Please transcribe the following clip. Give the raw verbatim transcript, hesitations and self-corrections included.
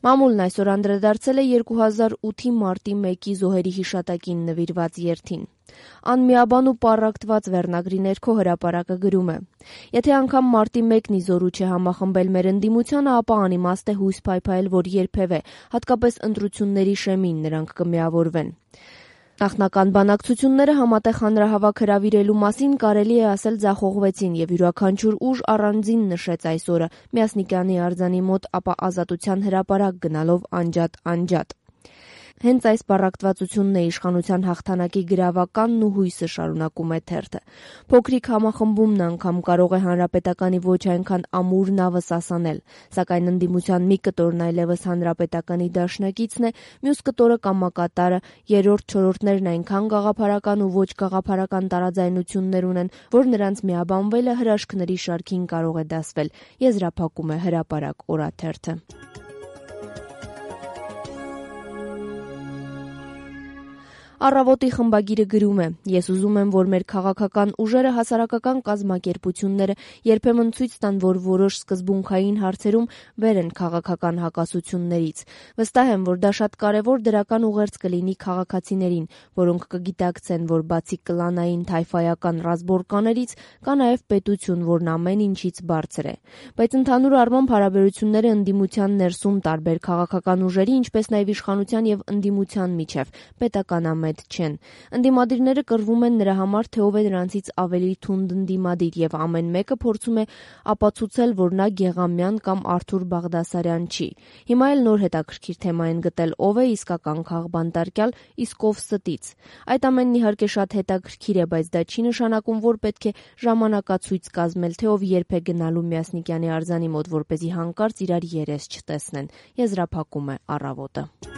Մամուլն այսօր անդրադարձել է երկու հազար ութի մարտի մեկի զոհերի հիշատակին նվիրված երթին։ «Անմիաբան ու պառակտված» վերնագրի ներքո հրապարակը գրում է. «Եթե անգամ մարտի մեկն ի զորու չէ համախմբել մեր ընդդիմությանը, ապա անիմաստ է հույս փայփայել, որ երբևէ, հատկապես ընտրությունների շեմին, նրանք կմիավորվեն»։ Նախնական բանակցությունները համատեղ հանրահավաք հրավիրելու մասին կարելի է ասել ձախողվեցին, եւ յուրաքանչյուր ուժ առանձին նշեց այս օրը Մյասնիկյանի արձանի մոտ, ապա Ազատության հրապարակ գնալով անջատ-անջատ։ Հենց այս պառակտվածությունն է իշխանության հաղթանակի գրավականն ու հույսը, շարունակում է թերթը։ Փոքրիկ համախմբումն անգամ կարող է հանրապետականի ոչ այնքան ամուր նավը սասանել, սակայն ընդդիմության մի կտորն այլևս հանրապետականի դաշնակիցն է, մյուս կտորը կամակատարը, երրորդ-չորրորդներն այնքան գաղափարական ու ոչ գաղափարական տարաձայնություններ ունեն, որ նրանց միաբանվելը հրաշքների շարքին կարող է դասվել, եզրափակում է Հրապարակ օրաթերթը։ Առավոտի խմբագիրը գրում է. «Ես ուզում եմ, որ մեր քաղաքական ուժերը, հասարակական կազմակերպությունները երբեմն ցույց տան, որ որոշ սկզբունքային հարցերում վեր են քաղաքական հակասություններից։ Վստահ եմ, որ դա շատ կարևոր դրական ուղերձ կլինի քաղաքացիներին, որոնք կգիտակցեն, որ բացի կլանային թայֆայական ռազմորկաներից կա նաև պետություն, որն ամեն ինչից բարձր է։ Բայց ընդհանուր առմամբ հարաբերությունները ընդդիմության ներսում տարբեր քաղաքական ուժերի, ինչպես նաև իշխանության եւ ընդդիմության միջև պետականամետ չեն։ Ընդդիմադիրները կռվում են նրա համար, թե ով է նրանցից ավելի թունդ ընդդիմադիր, եւ ամեն մեկը փորձում է ապացուցել, որ նա Գեղամյան կամ Արթուր Բաղդասարյան չի։ Հիմա էլ նոր հետաքրքիր թեմա են գտել՝ ով է իսկական քաղբանտարկյալ, իսկ ով ստից։ Այդ ամենն իհարկե շատ հետաքրքիր է, բայց դա չի նշանակում, որ պետք է ժամանակացույց կազմել, թե ով երբ է գնալու Մյասնիկյանի արձանի մոտ, որպեսզի հանկարծ իրար երես չտեսնեն», եզրափակում է Առավոտը։